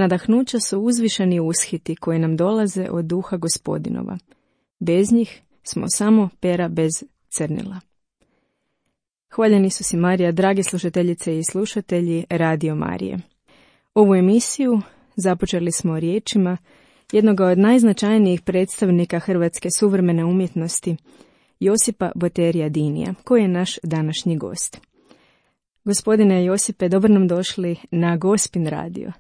Nadahnuća su uzvišeni ushiti koji nam dolaze od duha Gospodinova. Bez njih smo samo pera bez crnila. Hvaljeni su si Marija, dragi slušateljice i slušatelji Radio Marije. Ovu emisiju započeli smo riječima jednoga od najznačajnijih predstavnika hrvatske suvremene umjetnosti, Josipa Boterija Dinija, koji je naš današnji gost. Gospodine Josipe, dobro nam došli na Gospin radio.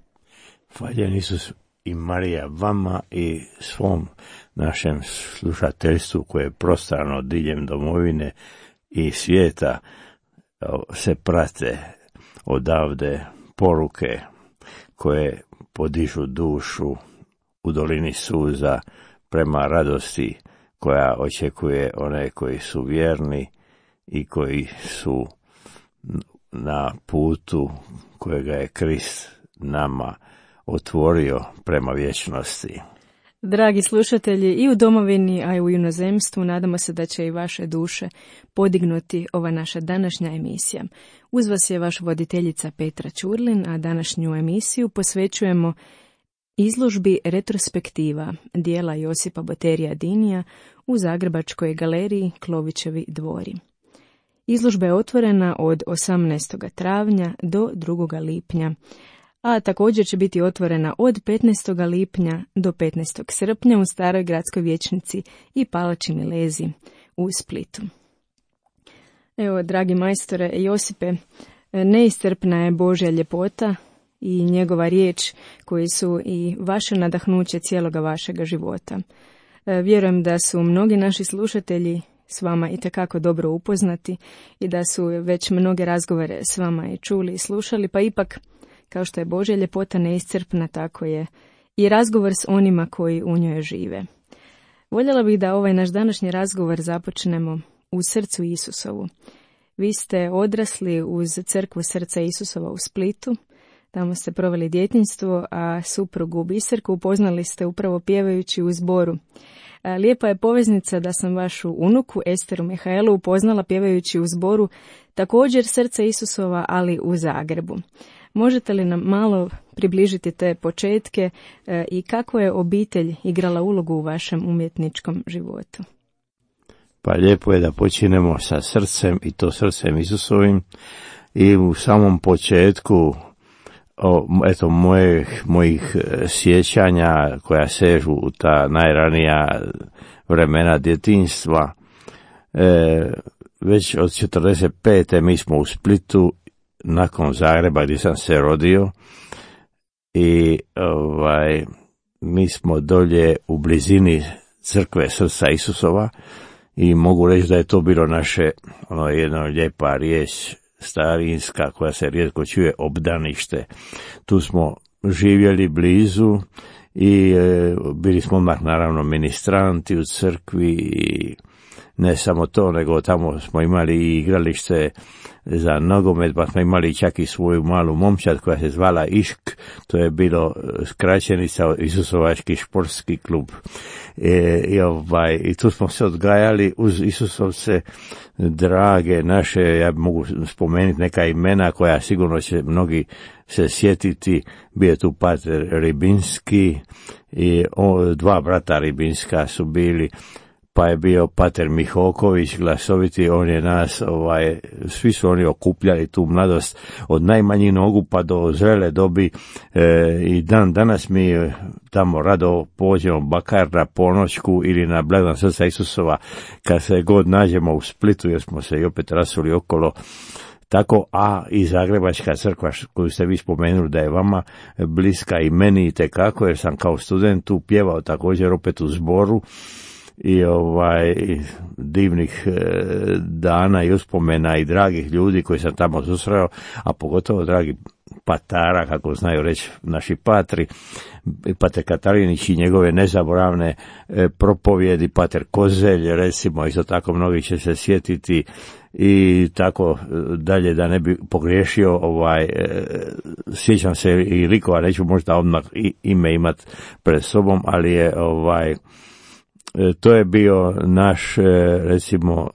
Hvaljeni su i Marija vama i svom našem slušateljstvu koje je prostrano diljem domovine i svijeta, se prate odavde poruke koje podižu dušu u dolini suza prema radosti koja očekuje one koji su vjerni i koji su na putu kojega je Krist nama otvorio prema vječnosti. Dragi slušatelji, i u domovini, a i u inozemstvu, nadamo se da će i vaše duše podignuti ova naša današnja emisija. Uz vas je vaš voditeljica Petra Ćurlin, a današnju emisiju posvećujemo izložbi retrospektiva dijela Josipa Boterija Dinija u Zagrebačkoj galeriji Klovićevi dvori. Izložba je otvorena od 18. travnja do 2. lipnja, a također će biti otvorena od 15. lipnja do 15. srpnja u Staroj gradskoj vijećnici i Palači Milezi u Splitu. Evo, dragi majstore Josipe, neiscrpna je Božja ljepota i njegova riječ koji su i vaše nadahnuće cijeloga vašega života. Vjerujem da su mnogi naši slušatelji s vama itekako dobro upoznati i da su već mnoge razgovore s vama i čuli i slušali, pa ipak, kao što je Božja ljepota neiscrpna, tako je i razgovor s onima koji u njoj žive. Voljela bih da ovaj naš današnji razgovor započnemo u srcu Isusovu. Vi ste odrasli uz crkvu Srca Isusova u Splitu, tamo ste proveli djetinjstvo, a suprugu Biserku upoznali ste upravo pjevajući u zboru. Lijepa je poveznica da sam vašu unuku Esteru Mihaelu upoznala pjevajući u zboru također Srca Isusova, ali u Zagrebu. Možete li nam malo približiti te početke i kako je obitelj igrala ulogu u vašem umjetničkom životu? Pa lijepo je da počinemo sa srcem, i to srcem Isusovim, i u samom početku mojih sjećanja koja sežu u ta najranija vremena djetinjstva. Već od 45. mi smo u Splitu, nakon Zagreba gdje sam se rodio, i mi smo dolje u blizini crkve Srca Isusova i mogu reći da je to bilo naše jedna lijepa riječ starinska koja se rijetko čuje, obdanište. Tu smo živjeli blizu i bili smo odmah naravno ministranti u crkvi i ne samo to, nego tamo smo imali i igralište za nogomet, pa smo imali čak i svoju malu momčad koja se zvala Išk, to je bilo skraćenica Isusovački športski klub. I tu smo se odgajali uz Isusovce drage naše, ja mogu spomenuti neka imena koja sigurno će mnogi se sjetiti. Bio je tu pater Ribinski i dva brata Ribinska su bili, pa je bio pater Mihoković glasoviti, on je nas, svi su oni okupljali tu mladost od najmanjih nogu pa do zrele dobi, i danas mi tamo rado pođemo bakar na ponoćku ili na blagdan Srca Isusova kad se god nađemo u Splitu, jer smo se i opet rasuli okolo. Tako, a i Zagrebačka crkva koju ste vi spomenuli da je vama bliska i meni itekako, jer sam kao student tu pjevao također opet u zboru, i divnih dana i uspomena i dragih ljudi koji sam tamo susreo, a pogotovo dragi patara, kako znaju reći naši patri, pater Katarinić i njegove nezaboravne propovjedi, pater Kozelj, recimo, isto tako mnogi će se sjetiti, i tako dalje, da ne bi pogriješio, sjećam se i likova, neću možda odmah ime imat pred sobom, ali je to je bio naš, recimo,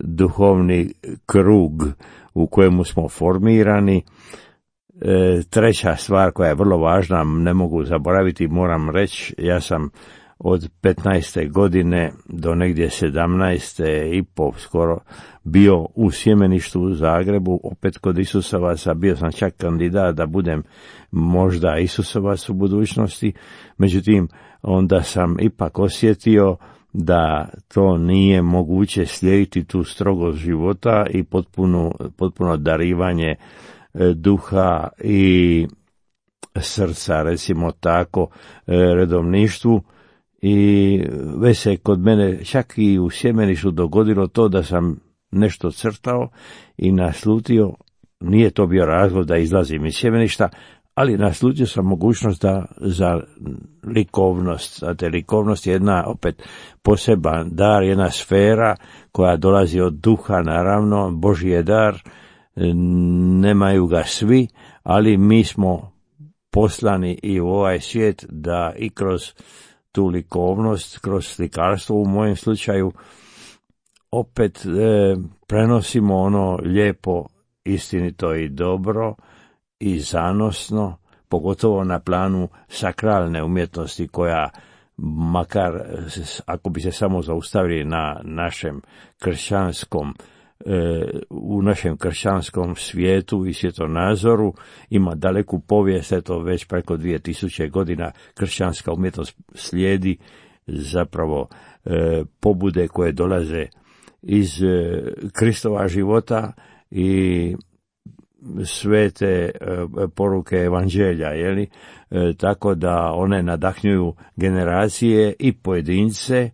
duhovni krug u kojemu smo formirani. treća stvar koja je vrlo važna, ne mogu zaboraviti, moram reći, ja sam od 15. godine do negdje 17. i po skoro bio u sjemeništu u Zagrebu, opet kod Isusovaca, bio sam čak kandidat da budem možda Isusovac u budućnosti, međutim onda sam ipak osjetio da to nije moguće slijediti tu strogost života i potpuno darivanje duha i srca, recimo tako, redovništvu. I već se kod mene čak i u sjemeništu dogodilo to da sam nešto crtao i naslutio, nije to bio razlog da izlazim iz sjemeništa, ali naslutio sam mogućnost da za likovnost, znate, likovnost je jedna opet poseban dar, jedna sfera koja dolazi od duha, naravno, Božji je dar, nemaju ga svi, ali mi smo poslani i u ovaj svijet da i kroz tu likovnost, kroz slikarstvo u mojem slučaju, opet prenosimo ono lijepo, istinito i dobro i zanosno, pogotovo na planu sakralne umjetnosti koja, makar ako bi se samo zaustavili na našem kršćanskom, u našem kršćanskom svijetu i svjetonazoru, ima daleku povijest, eto već preko 2000 godina kršćanska umjetnost slijedi zapravo pobude koje dolaze iz Kristova života i svete poruke evanđelja, tako da one nadahnjuju generacije i pojedince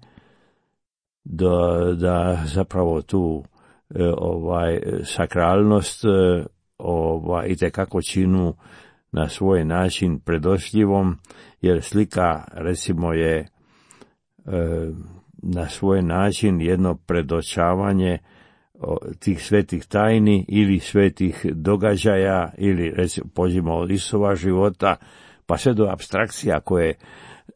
da zapravo tu sakralnost itekako činu na svoj način predošljivom, jer slika recimo je na svoj način jedno predočavanje tih svetih tajni ili svetih događaja ili recimo pođimo od Isusova života pa sve do apstrakcija koje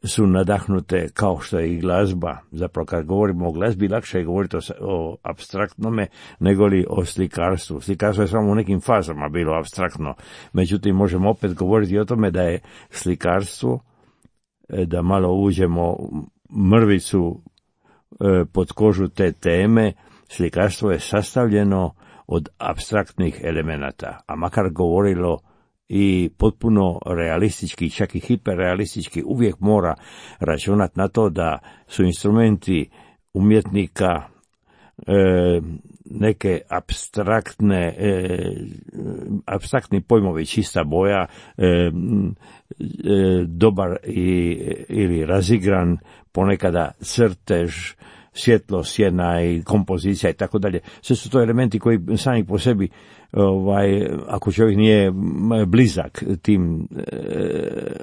su nadahnute kao što je i glazba. Zapravo kad govorimo o glazbi lakše je govoriti o apstraktnome nego li o slikarstvu. Slikarstvo je samo u nekim fazama bilo apstraktno. Međutim, možemo opet govoriti o tome da je slikarstvo, da malo uđemo mrvicu pod kožu te teme, slikarstvo je sastavljeno od apstraktnih elemenata, a makar govorilo i potpuno realistički, čak i hiperrealistički, uvijek mora računati na to da su instrumenti umjetnika neke apstraktni pojmovi, čista boja, dobar ili razigran, ponekada crtež, svjetlo, sjena i kompozicija i tako dalje. Sve su to elementi koji sami po sebi, ako čovjek nije blizak tim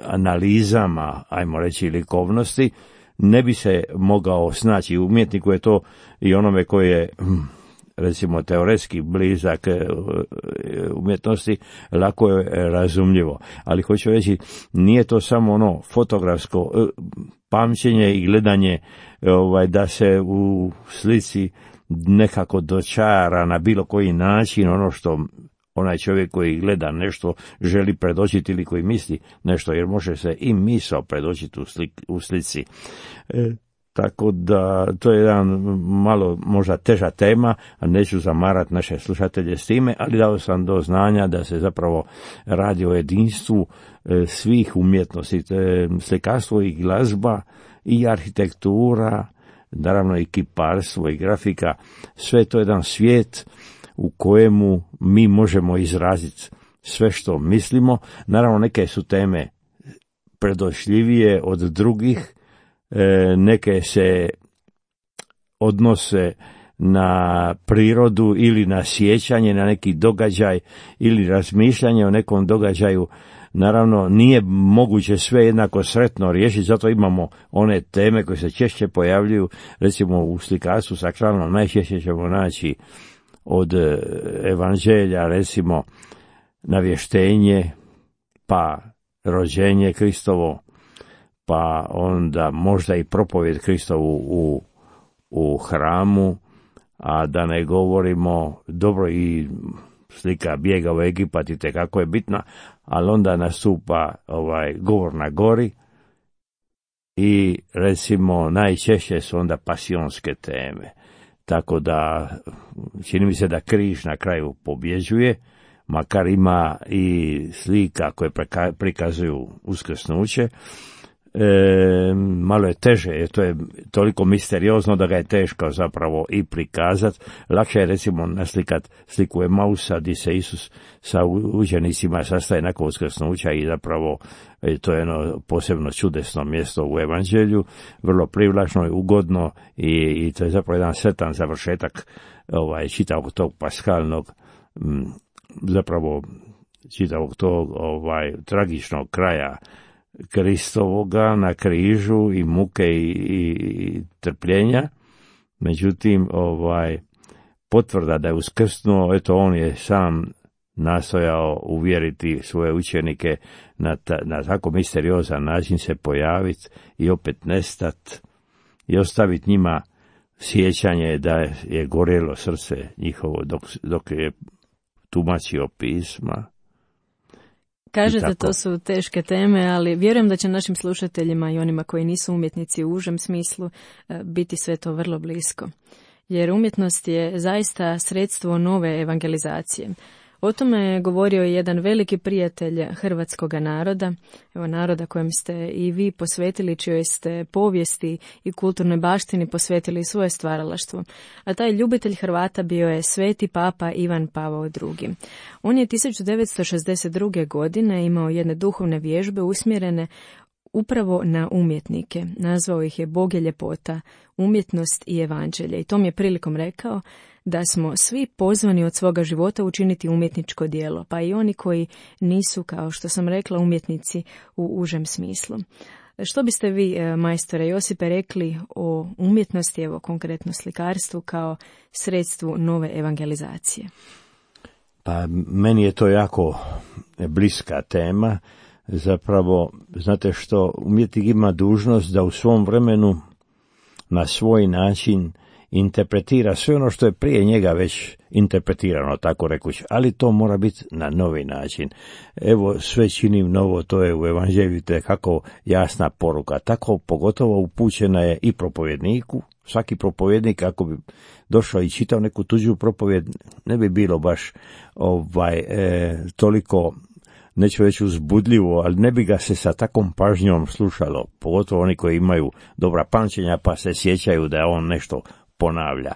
analizama, ajmo reći, likovnosti, ne bi se mogao snaći. Umjetniku je to i onome koji je recimo teoretski blizak umjetnosti, lako je razumljivo. Ali hoću reći, nije to samo ono fotografsko pamćenje i gledanje da se u slici nekako dočara na bilo koji način ono što onaj čovjek koji gleda nešto želi predočiti ili koji misli nešto, jer može se i misao predočiti u slici. Tako da to je jedan malo možda teža tema, a neću zamarati naše slušatelje s time, ali dao sam do znanja da se zapravo radi o jedinstvu svih umjetnosti, slikarstvo i glazba i arhitektura, naravno i kiparstvo i grafika, sve to je jedan svijet u kojemu mi možemo izraziti sve što mislimo. Naravno neke su teme predošljivije od drugih, neke se odnose na prirodu ili na sjećanje na neki događaj ili razmišljanje o nekom događaju. Naravno, nije moguće sve jednako sretno riješiti, zato imamo one teme koje se češće pojavljuju, recimo u slikarstvu sakralnom najčešće ćemo naći od evanđelja, recimo navještenje, pa rođenje Kristovo, pa onda možda i propovjed Kristovu u hramu, a da ne govorimo dobro i slika bijega u Egipat i tekako je bitna, ali onda nastupa govor na gori i recimo najčešće su onda pasionske teme. Tako da čini mi se da križ na kraju pobjeđuje, makar ima i slika koje prikazuju uskrsnuće. Malo je teže, jer to je toliko misteriozno da ga je teško zapravo i prikazati. Lakše je recimo naslikat sliku Emausa gdje se Isus sa učenicima sastaje nakon uskrsnuća i zapravo to je jedno posebno čudesno mjesto u evanđelju, vrlo privlačno i ugodno i to je zapravo jedan sretan završetak čitavog tog paskalnog, zapravo čitavog tog tragičnog kraja Kristovoga na križu i muke i trpljenja. Međutim, potvrda da je uskrsnuo, eto on je sam nastojao uvjeriti svoje učenike na tako misteriozan način se pojaviti i opet nestati i ostaviti njima sjećanje da je gorjelo srce njihovo dok je tumačio pisma. Kažete, to su teške teme, ali vjerujem da će našim slušateljima i onima koji nisu umjetnici u užem smislu biti sve to vrlo blisko. Jer umjetnost je zaista sredstvo nove evangelizacije. O tome je govorio jedan veliki prijatelj hrvatskoga naroda, evo naroda kojem ste i vi posvetili, čijoj ste povijesti i kulturnoj baštini posvetili svoje stvaralaštvo. A taj ljubitelj Hrvata bio je sveti papa Ivan Pavao II. On je 1962. godine imao jedne duhovne vježbe usmjerene upravo na umjetnike. Nazvao ih je Bog je ljepota, umjetnost i evanđelje. I tom je prilikom rekao da smo svi pozvani od svoga života učiniti umjetničko djelo, pa i oni koji nisu, kao što sam rekla, umjetnici u užem smislu. Što biste vi, majstore Josipe, rekli o umjetnosti, evo konkretno slikarstvu, kao sredstvu nove evangelizacije? Pa meni je to jako bliska tema. Zapravo, znate što, umjetnik ima dužnost da u svom vremenu na svoj način interpretira sve ono što je prije njega već interpretirano, tako rekući, ali to mora biti na novi način. Evo, sve činim novo, to je u evanđelju kako jasna poruka, tako pogotovo upućena je i propovjedniku. Svaki propovjednik, ako bi došao i čitao neku tuđu propovjed, ne bi bilo baš toliko, neću reći uzbudljivo, ali ne bi ga se sa takvom pažnjom slušalo, pogotovo oni koji imaju dobra pamćenja pa se sjećaju da on nešto ponavlja.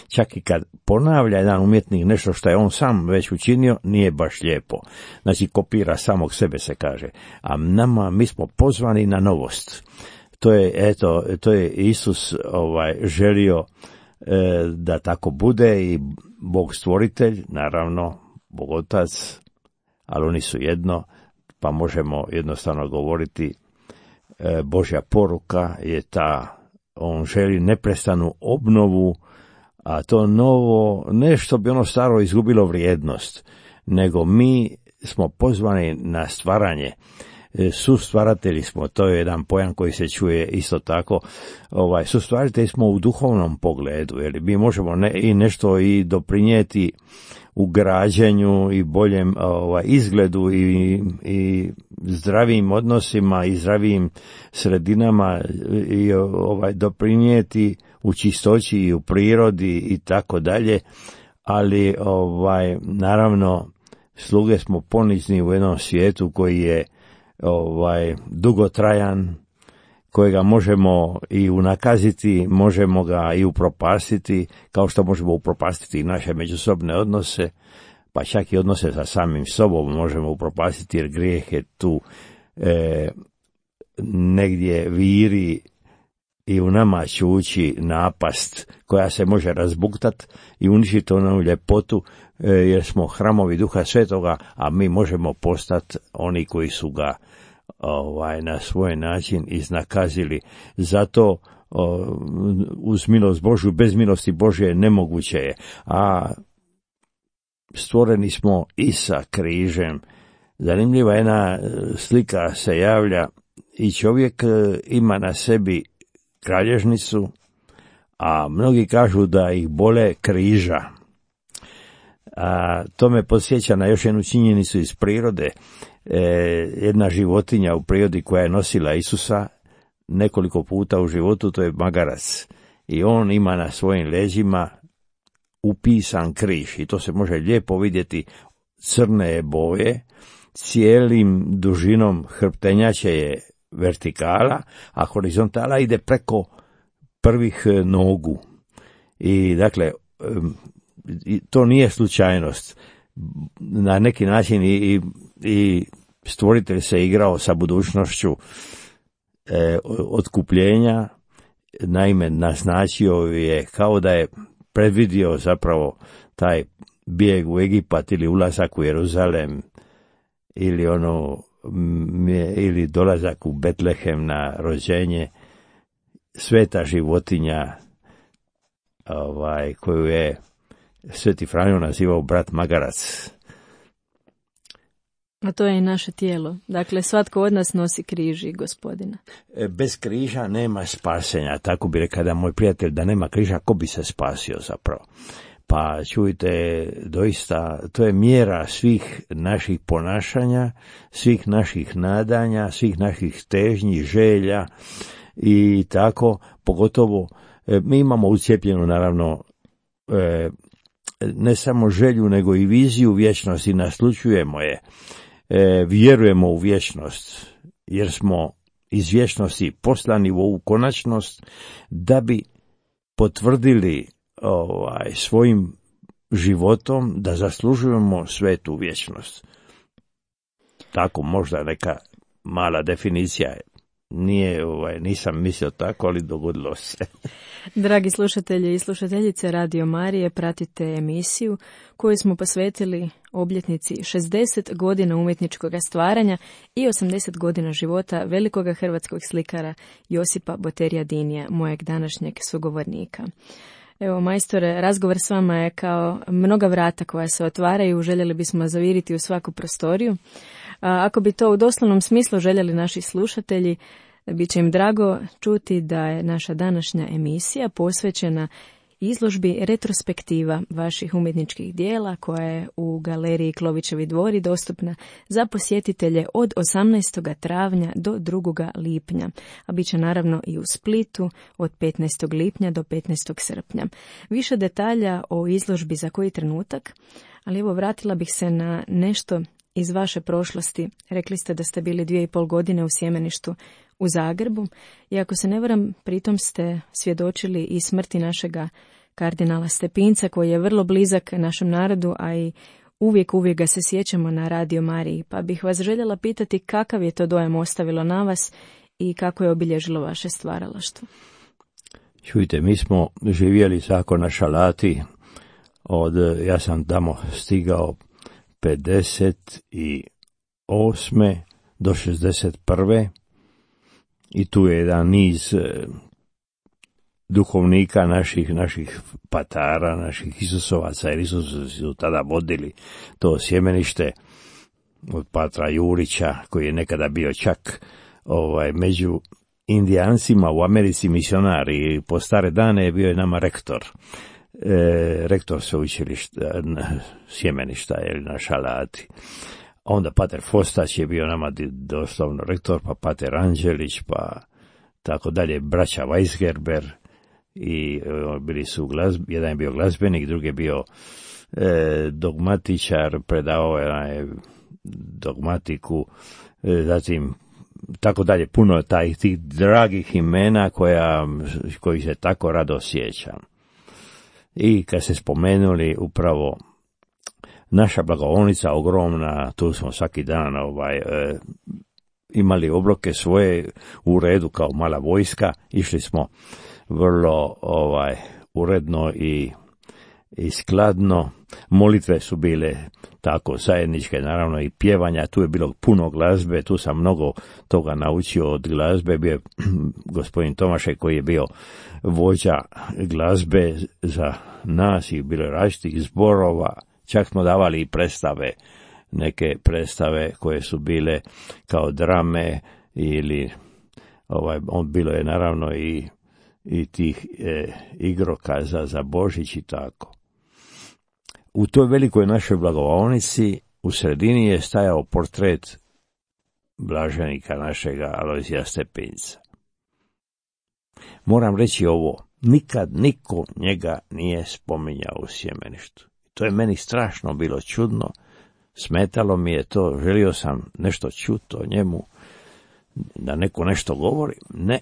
Čak i kad ponavlja jedan umjetnik nešto što je on sam već učinio, nije baš lijepo. Znači, kopira samog sebe, se kaže. A mi smo pozvani na novost. To je Isus želio da tako bude i Bog stvoritelj, naravno, Bog otac, ali oni su jedno, pa možemo jednostavno govoriti Božja poruka je ta, on želi neprestanu obnovu, a to novo, ne što bi ono staro izgubilo vrijednost, nego mi smo pozvani na stvaranje. Sustvaratelji smo, to je jedan pojam koji se čuje isto tako, sustvaratelji smo u duhovnom pogledu, jer mi možemo nešto i doprinijeti u građenju i boljem izgledu i zdravim odnosima i zdravim sredinama i doprinijeti u čistoći i u prirodi i tako dalje, ali naravno sluge smo ponizni u jednom svijetu koji je dugotrajan, kojega možemo i unakaziti, možemo ga i upropastiti, kao što možemo upropastiti i naše međusobne odnose, pa čak i odnose sa samim sobom možemo upropastiti, jer grijeh je tu negdje viri i u nama čuči napast koja se može razbuktati i uništiti onu ljepotu, jer smo hramovi Duha Svetoga, a mi možemo postati oni koji su ga na svoj način iznakazili. Zato uz milost Božju, bez milosti Božje nemoguće je. A stvoreni smo i sa križem. Zanimljiva jedna slika se javlja i čovjek ima na sebi kralježnicu, a mnogi kažu da ih bole križa. A to me podsjeća na još jednu činjenicu iz prirode. Jedna životinja u prirodi koja je nosila Isusa nekoliko puta u životu, to je magarac. I on ima na svojim leđima upisan križ i to se može lijepo vidjeti, crne je boje, cijelim dužinom hrptenjače je vertikala, a horizontala ide preko prvih nogu. I dakle, to nije slučajnost. Na neki način i stvoritelj se igrao sa budućnošću otkupljenja, naime naznačio je kao da je predvidio zapravo taj bijeg u Egipat ili ulazak u Jeruzalem ili dolazak u Betlehem na rođenje, sveta životinja koju je Sveti Franjo nazivao brat magarac. A to je i naše tijelo. Dakle, svatko od nas nosi križ i Gospodina. Bez križa nema spasenja. Tako bi rekao da moj prijatelj, da nema križa, ko bi se spasio zapravo? Pa čujte, doista, to je mjera svih naših ponašanja, svih naših nadanja, svih naših težnji, želja i tako, pogotovo mi imamo ucijepljenu naravno ne samo želju nego i viziju vječnosti, naslućujemo je, vjerujemo u vječnost jer smo iz vječnosti poslani u ovu konačnost da bi potvrdili svojim životom da zaslužujemo svetu vječnost. Tako možda neka mala definicija je. Nisam mislio tako, ali dogodilo se. Dragi slušatelji i slušateljice Radio Marije, pratite emisiju koju smo posvetili obljetnici 60 godina umjetničkog stvaranja i 80 godina života velikoga hrvatskog slikara Josipa Boterija-Dinija, mojeg današnjeg sugovornika. Evo, majstore, razgovor s vama je kao mnoga vrata koja se otvaraju, željeli bismo zaviriti u svaku prostoriju. Ako bi to u doslovnom smislu željeli naši slušatelji, bit će im drago čuti da je naša današnja emisija posvećena izložbi retrospektiva vaših umjetničkih dijela koja je u galeriji Klovićevi dvori dostupna za posjetitelje od 18. travnja do 2. lipnja, a bit će naravno i u Splitu od 15. lipnja do 15. srpnja. Više detalja o izložbi za koji trenutak, ali evo vratila bih se na nešto iz vaše prošlosti. Rekli ste da ste bili 2,5 godine u Sjemeništu u Zagrebu i ako se ne varam, pritom ste svjedočili i smrti našega kardinala Stepinca koji je vrlo blizak našem narodu, a i uvijek ga se sjećamo na Radio Mariji. Pa bih vas željela pitati kakav je to dojam ostavilo na vas i kako je obilježilo vaše stvaralaštvo. Čujte, mi smo živjeli tako na Šalati ja sam tamo stigao 58. do 61. i tu je jedan niz duhovnika naših patara, naših Isusovaca, jer Isusovi su tada vodili to sjemenište od patra Jurića, koji je nekada bio čak među Indijancima u Americi misionar i po stare dane je bio je nama rektor sveučilišta sjemeništa na Šalati. Onda pater Fostać je bio nama doslovno rektor, pa pater Anđelić, pa tako dalje, braća Weisgerber i bili su jedan je bio glazbenik, drugi je bio dogmatičar, predavao je dogmatiku, zatim tako dalje, puno tih dragih imena koji se tako rado sjećam. I kad se spomenuli upravo naša blagovolnica ogromna, tu smo svaki dan imali obroke svoje u redu kao mala vojska, išli smo vrlo uredno i skladno, molitve su bile tako zajedničke, naravno i pjevanja, tu je bilo puno glazbe, tu sam mnogo toga naučio od glazbe, bio je gospodin Tomašek koji je bio vođa glazbe za nas i bilo je različitih zborova, čak smo davali i predstave, neke predstave koje su bile kao drame ili bilo je naravno i tih igrokaza za Božić i tako. u toj velikoj našoj blagovaonici u sredini je stajao portret blaženika našega Alojzija Stepinca. Moram reći ovo, nikad niko njega nije spominjao u Sjemeništu. To je meni strašno bilo čudno, smetalo mi je to, želio sam nešto čuti o njemu, da neko nešto govori, ne,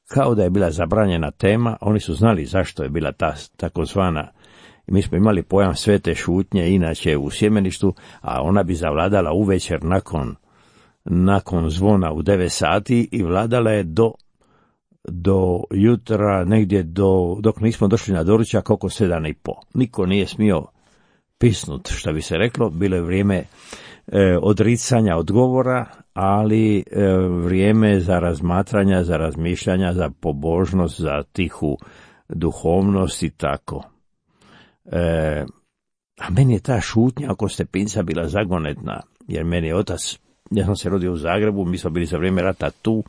kao da je bila zabranjena tema, oni su znali zašto je bila ta takozvana, mi smo imali pojam svete šutnje inače u Sjemeništu, a ona bi zavladala uvečer nakon zvona u 9 sati i vladala je do jutra, negdje dok nismo došli na doručak oko 7:30. Niko nije smio pisnut, što bi se reklo, bilo je vrijeme odricanja odgovora, ali vrijeme za razmatranja, za razmišljanja, za pobožnost, za tihu duhovnost i tako. A meni je ta šutnja oko Stepinca bila zagonetna, jer meni je otac, ja sam se rodio u Zagrebu, mi smo bili za vrijeme rata tu,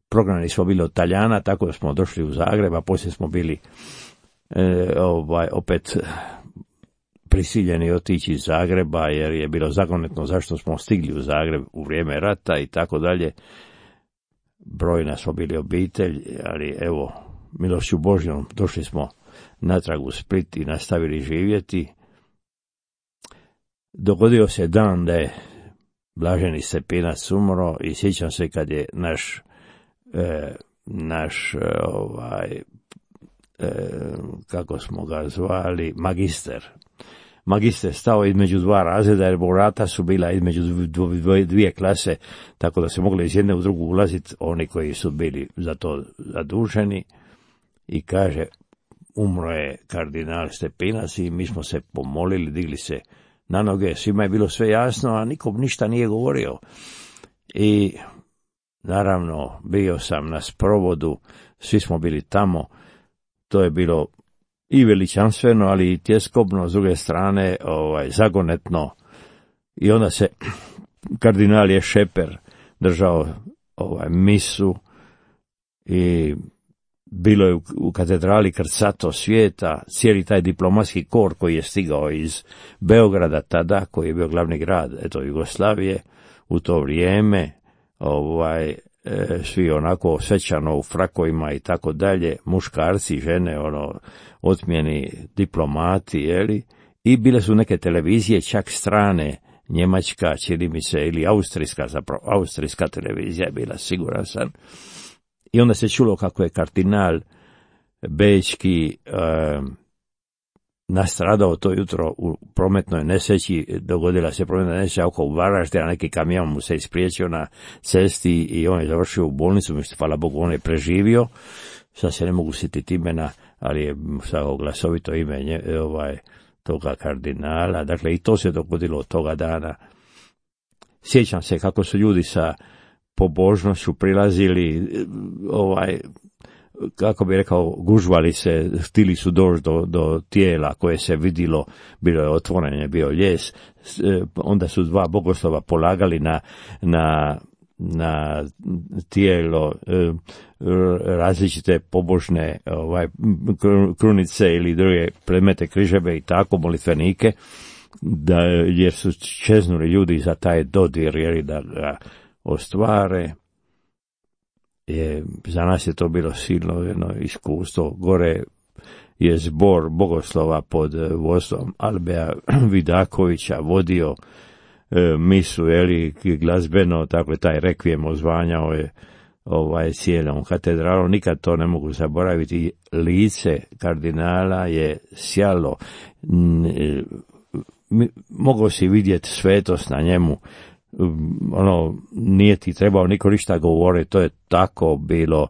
prognani smo bili od Talijana, tako da smo došli u Zagreb, a poslije smo bili opet prisiljeni otići iz Zagreba, jer je bilo zagonetno zašto smo stigli u Zagreb u vrijeme rata i tako dalje. Brojna smo bili obitelj, ali evo, milošću Božjom došli smo natrag u Split i nastavili živjeti. Dogodio se dan da je blaženi Stepinac umro i sjećam se kad je naš kako smo ga zvali, magister stao između dva razreda, jer vrata su bila između dvije klase, tako da se mogli iz jedne u drugu ulaziti oni koji su bili za to zaduženi, i kaže, umro je kardinal Stepinac i mi smo se pomolili, digli se na noge, svima je bilo sve jasno, a nikom ništa nije govorio. I naravno bio sam na sprovodu, svi smo bili tamo, to je bilo i veličanstveno, ali i tjeskobno, s druge strane zagonetno. I onda se kardinal je Šeper držao misu i bilo je u katedrali krcato svijeta, cijeli taj diplomatski kor koji je stigao iz Beograda tada, koji je bio glavni grad Jugoslavije u to vrijeme, svi onako svečano u frakovima i tako dalje, muškarci, žene, otmjeni diplomati, i bile su neke televizije, čak strane, njemačka, čini mi se, ili austrijska televizija je bila, siguran sam. I onda se čulo kako je kardinal bečki nastradao to jutro u prometnoj nesreći, dogodila se prometna nesreća oko Varaždina, neki kamion mu se ispriječio na cesti i on je završio u bolnicu, hvala Bogu on je preživio, sad se ne mogu sjetiti imena, ali je samo glasovito ime toga kardinala, dakle i to se dogodilo od toga dana. Sjećam se kako su ljudi sa pobožnošću prilazili, kako bi rekao, gužvali se, htili su doći do tijela koje se vidilo, bilo je otvoreno, bio ljes, onda su dva bogoslova polagali na tijelo različite pobožne krunice ili druge predmete, križeve i tako, molitvenike, jer su čeznuli ljudi za taj dodir, jer da ga ostvare. Za nas je to bilo silno jedno iskustvo. Gore je zbor bogoslova pod vodstvom Albea Vidakovića vodio misu, glazbeno, tako je taj rekvijem ozvanjao je cijelom katedralom. Nikad to ne mogu zaboraviti. Lice kardinala je sjalo. Mogao si vidjeti svetost na njemu. Nije ti trebao niko ništa govoriti, to je tako bilo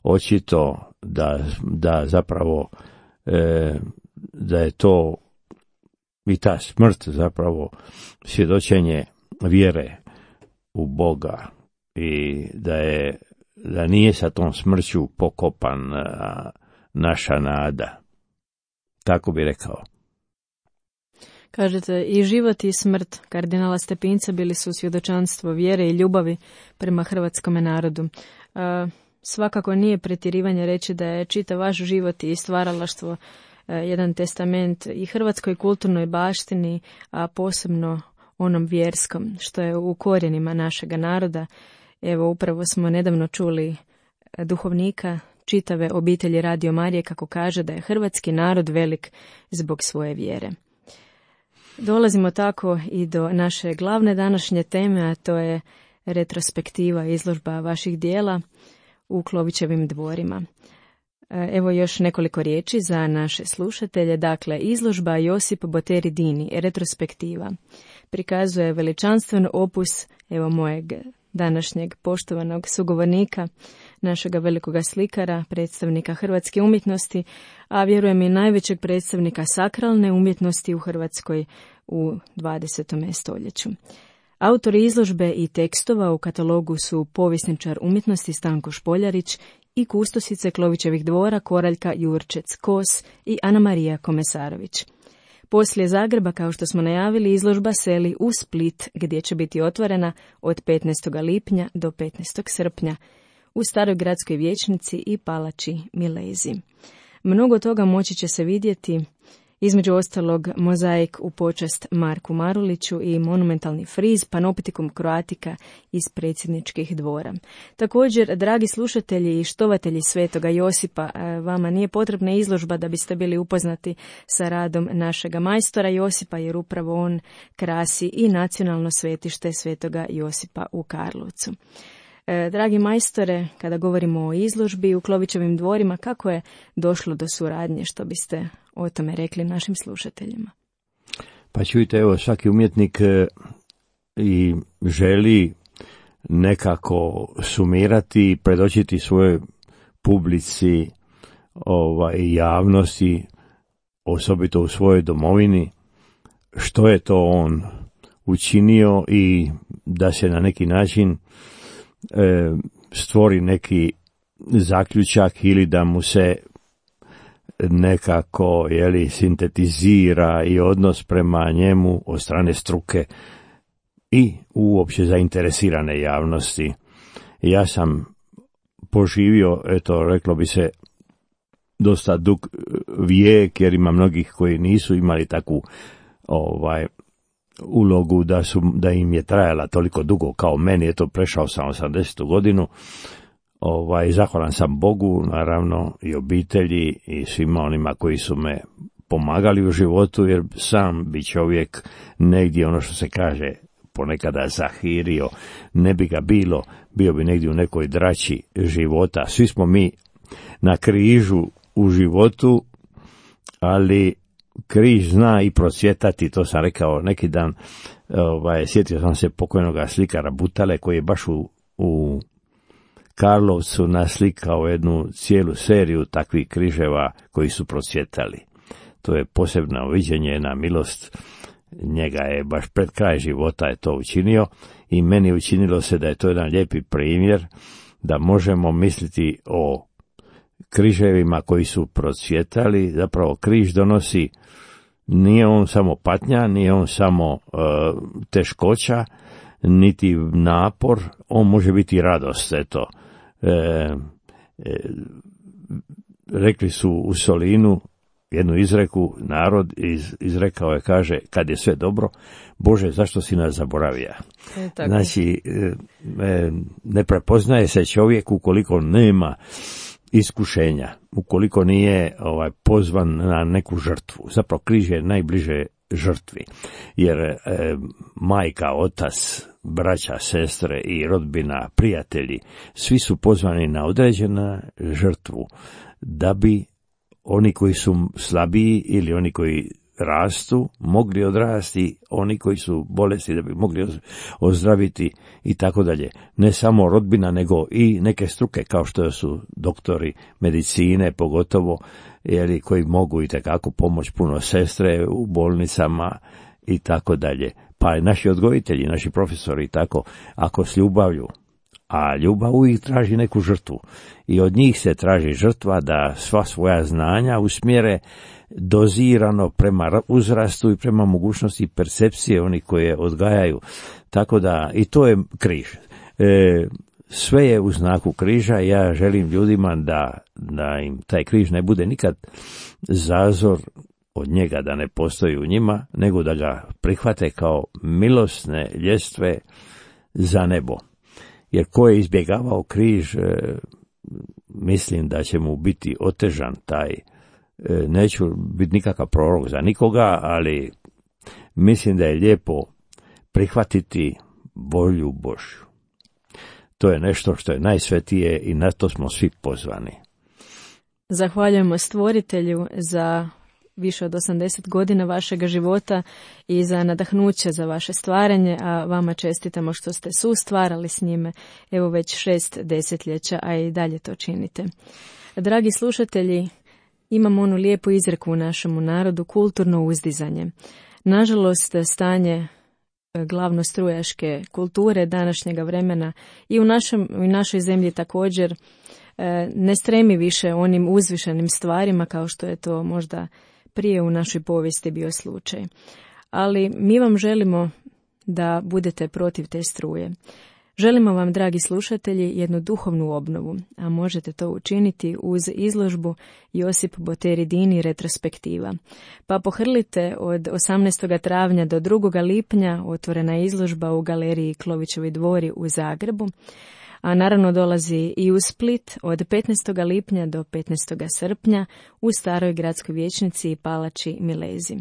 očito da zapravo da je to i ta smrt zapravo svjedočenje vjere u Boga i da nije sa tom smrću pokopan naša nada. Tako bi rekao. Kažete, i život i smrt kardinala Stepinca bili su svjedočanstvo vjere i ljubavi prema hrvatskome narodu. svakako nije pretjerivanje reći da je čitav vaš život i stvaralaštvo jedan testament i hrvatskoj kulturnoj baštini, a posebno onom vjerskom, što je u korijenima našega naroda. Evo, upravo smo nedavno čuli duhovnika čitave obitelji Radio Marije kako kaže da je hrvatski narod velik zbog svoje vjere. Dolazimo tako i do naše glavne današnje teme, a to je retrospektiva izložba vaših dijela u Klovićevim dvorima. Evo još nekoliko riječi za naše slušatelje. Dakle, izložba Josip Boteri Dini, retrospektiva, prikazuje veličanstven opus evo mojeg današnjeg poštovanog sugovornika, našega velikoga slikara, predstavnika hrvatske umjetnosti, a vjerujem i najvećeg predstavnika sakralne umjetnosti u Hrvatskoj u 20. stoljeću. Autori izložbe i tekstova u katalogu su povjesničar umjetnosti Stanko Špoljarić i kustosice Klovićevih dvora Koraljka Jurčec Kos i Ana Marija Komesarović. Poslije Zagreba, kao što smo najavili, izložba seli u Split, gdje će biti otvorena od 15. lipnja do 15. srpnja u Staroj gradskoj vijećnici i Palači Milezi. Mnogo toga moći će se vidjeti, između ostalog mozaik u počast Marku Maruliću i monumentalni friz Panoptikum Croatica iz predsjedničkih dvora. Također, dragi slušatelji i štovatelji Svetoga Josipa, vama nije potrebna izložba da biste bili upoznati sa radom našega majstora Josipa, jer upravo on krasi i nacionalno svetište Svetoga Josipa u Karlovcu. Dragi majstore, kada govorimo o izložbi u Klovićevim dvorima, kako je došlo do suradnje, što biste o tome rekli našim slušateljima? Pa čujte, evo, svaki umjetnik i želi nekako sumirati i predočiti svojoj publici, javnosti, osobito u svojoj domovini, što je to on učinio i da se na neki način stvori neki zaključak ili da mu se nekako sintetizira i odnos prema njemu od strane struke i uopće zainteresirane javnosti. Ja sam poživio, reklo bi se, dosta dug vijek, jer ima mnogih koji nisu imali takvu ulogu da im je trajala toliko dugo kao meni. Prešao sam 80. godinu. Zahvalan sam Bogu, naravno, i obitelji i svima onima koji su me pomagali u životu, jer sam bi čovjek negdje, ono što se kaže, ponekada zahirio, ne bi ga bilo, bio bi negdje u nekoj drači života. Svi smo mi na križu u životu, ali križ zna i procvjetati, to sam rekao neki dan. Sjetio sam se pokojnoga slikara Butale, koji je baš u Karlovcu naslikao jednu cijelu seriju takvih križeva koji su procvjetali. To je posebno viđenje, na milost njega je baš pred kraj života je to učinio i meni učinilo se da je to jedan lijepi primjer da možemo misliti o križevima koji su procvjetali. Zapravo križ donosi, nije on samo patnja, nije on samo teškoća, niti napor, on može biti radost. Rekli su u Solinu jednu izreku, narod izrekao je, kaže, kad je sve dobro, Bože, zašto si nas zaboravio? Znači, ne prepoznaje se čovjek ukoliko nema iskušenja, ukoliko nije pozvan na neku žrtvu. Zapravo križ je najbliže žrtvi, jer majka, otac, braća, sestre i rodbina, prijatelji, svi su pozvani na određenu žrtvu, da bi oni koji su slabiji ili oni koji rastu mogli odrasti, oni koji su bolesni da bi mogli ozdraviti i tako dalje. Ne samo rodbina, nego i neke struke kao što su doktori medicine, pogotovo, koji mogu i takako pomoći, puno sestre u bolnicama i tako dalje. Pa naši odgojitelji, naši profesori, tako, ako s ljubavlju, a ljubav uvijek traži neku žrtvu i od njih se traži žrtva da sva svoja znanja usmjere dozirano prema uzrastu i prema mogućnosti percepcije onih koje odgajaju. Tako da i to je križ. sve je u znaku križa. Ja želim ljudima da im taj križ ne bude nikad zazor od njega, da ne postoji u njima, nego da ga prihvate kao milosne ljestve za nebo. Jer ko je izbjegavao križ, mislim da će mu biti otežan taj, neću biti nikakav prorok za nikoga, ali mislim da je lijepo prihvatiti volju Božju. To je nešto što je najsvetije i na to smo svi pozvani. Zahvaljujemo Stvoritelju za više od 80 godina vašega života i za nadahnuće za vaše stvaranje, a vama čestitamo što ste sustvarali s njime, evo već 6 desetljeća, a i dalje to činite. Dragi slušatelji, imamo onu lijepu izreku u našemu narodu, kulturno uzdizanje. Nažalost, stanje glavnostrujaške kulture današnjega vremena i u našoj zemlji također ne stremi više onim uzvišenim stvarima kao što je to možda prije u našoj povijesti bio slučaj. Ali mi vam želimo da budete protiv te struje. Želimo vam, dragi slušatelji, jednu duhovnu obnovu, a možete to učiniti uz izložbu Josip Boteri Dini retrospektiva. Pa pohrlite od 18. travnja do 2. lipnja, otvorena je izložba u galeriji Klovićevi dvori u Zagrebu, a naravno dolazi i u Split od 15. lipnja do 15. srpnja u Staroj gradskoj vijećnici i Palači Milezi.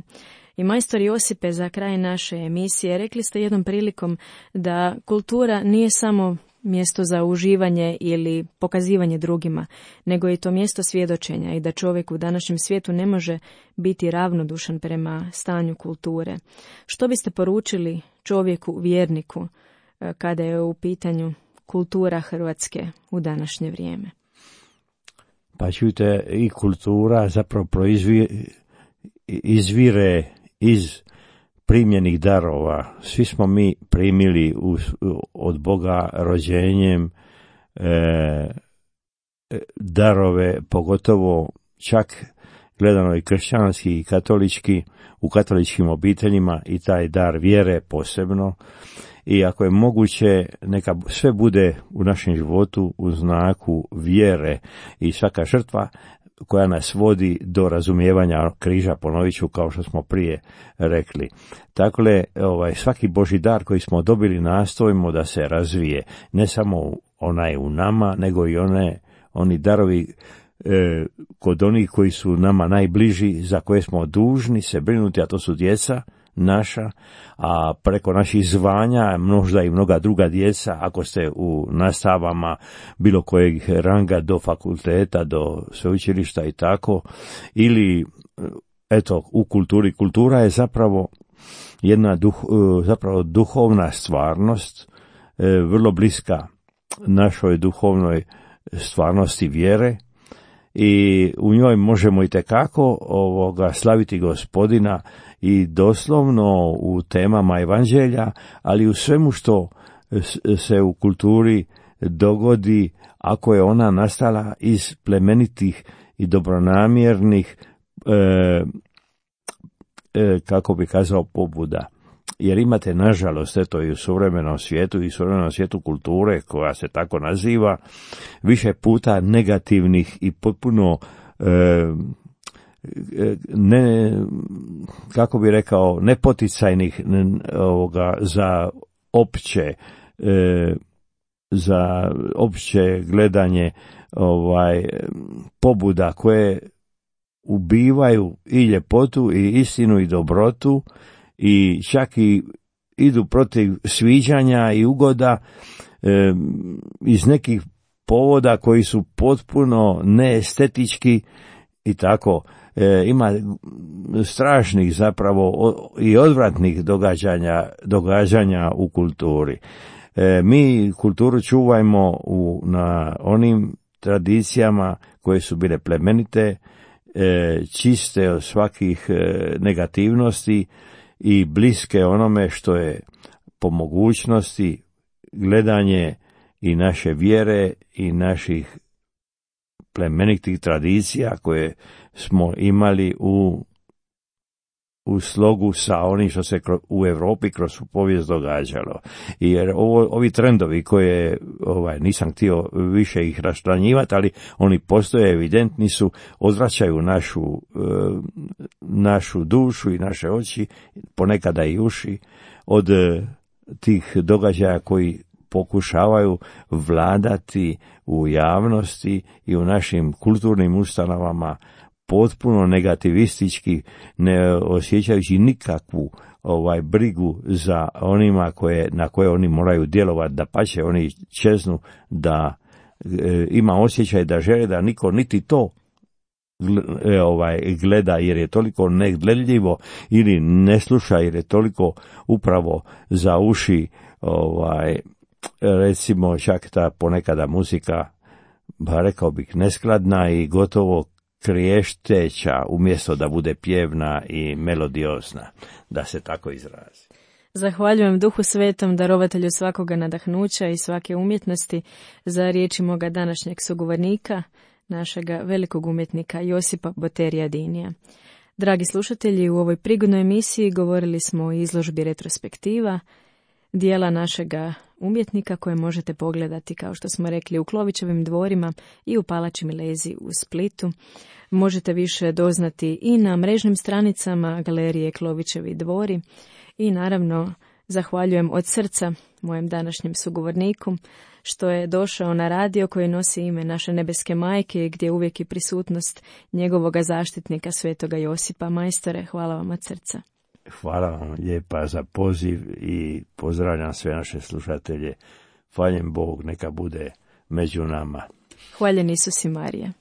I majstor Josipe, za kraj naše emisije, rekli ste jednom prilikom da kultura nije samo mjesto za uživanje ili pokazivanje drugima, nego je to mjesto svjedočenja i da čovjek u današnjem svijetu ne može biti ravnodušan prema stanju kulture. Što biste poručili čovjeku, vjerniku, kada je u pitanju kultura Hrvatske u današnje vrijeme? Pa čujte, i kultura zapravo izvire iz primljenih darova. Svi smo mi primili od Boga rođenjem darove, pogotovo čak gledano i kršćanski i katolički, u katoličkim obiteljima i taj dar vjere posebno. I ako je moguće, neka sve bude u našem životu u znaku vjere i svaka žrtva koja nas vodi do razumijevanja križa, ponovit ću kao što smo prije rekli. Dakle, svaki Božji dar koji smo dobili nastojimo da se razvije, ne samo onaj u nama, nego i oni darovi kod onih koji su nama najbliži, za koje smo dužni se brinuti, a to su djeca naša, a preko naših zvanja možda i mnoga druga djeca, ako ste u nastavama bilo kojeg ranga do fakulteta, do sveučilišta i tako, ili eto u kulturi. Kultura je zapravo jedna duhovna stvarnost, vrlo bliska našoj duhovnoj stvarnosti vjere, i u njoj možemo itekako slaviti Gospodina i doslovno u temama evanđelja, ali u svemu što se u kulturi dogodi, ako je ona nastala iz plemenitih i dobronamjernih, kako bi kazao, pobuda. Jer imate, nažalost, eto i u suvremenom svijetu kulture, koja se tako naziva, više puta negativnih i potpuno nepoticajnih za opće gledanje pobuda koje ubivaju i ljepotu i istinu i dobrotu, i čak i idu protiv sviđanja i ugoda iz nekih povoda koji su potpuno neestetički i tako. Ima strašnih zapravo i odvratnih događanja u kulturi. Mi kulturu čuvajmo na onim tradicijama koje su bile plemenite, čiste od svakih negativnosti i bliske onome što je po mogućnosti gledanje i naše vjere i naših plemenitih tradicija koje smo imali u u slogu sa onim što se u Europi kroz povijest događalo. Jer ovi trendovi koje nisam htio više ih raščlanjivati, ali oni postoje, evidentni su, odvraćaju našu dušu i naše oči, ponekada i uši, od tih događaja koji pokušavaju vladati u javnosti i u našim kulturnim ustanovama potpuno negativistički, ne osjećajući nikakvu brigu za onima na koje oni moraju djelovati, da pače oni čeznu, da ima osjećaj da žele da niko niti to gleda, jer je toliko negledljivo, ili ne sluša jer je toliko upravo za uši, recimo čak ta ponekada muzika, rekao bih, neskladna i gotovo kriješteća, umjesto da bude pjevna i melodiozna, da se tako izrazi. Zahvaljujem Duhu Svetom, darovatelju svakoga nadahnuća i svake umjetnosti, za riječi moga današnjeg sugovornika, našega velikog umjetnika Josipa Boterija Dinija. Dragi slušatelji, u ovoj prigodnoj emisiji govorili smo o izložbi retrospektiva, dijela našega umjetnika koje možete pogledati, kao što smo rekli, u Klovićevim dvorima i u Palači Milezi u Splitu. Možete više doznati i na mrežnim stranicama Galerije Klovićevi dvori. I naravno, zahvaljujem od srca mojem današnjem sugovorniku što je došao na radio koji nosi ime naše nebeske majke, gdje je uvijek i prisutnost njegovoga zaštitnika Svetoga Josipa. Majstore, hvala vam od srca. Hvala vam lijepa za poziv i pozdravljam sve naše slušatelje. Hvaljen Bog, neka bude među nama. Hvaljen Isus i Marija.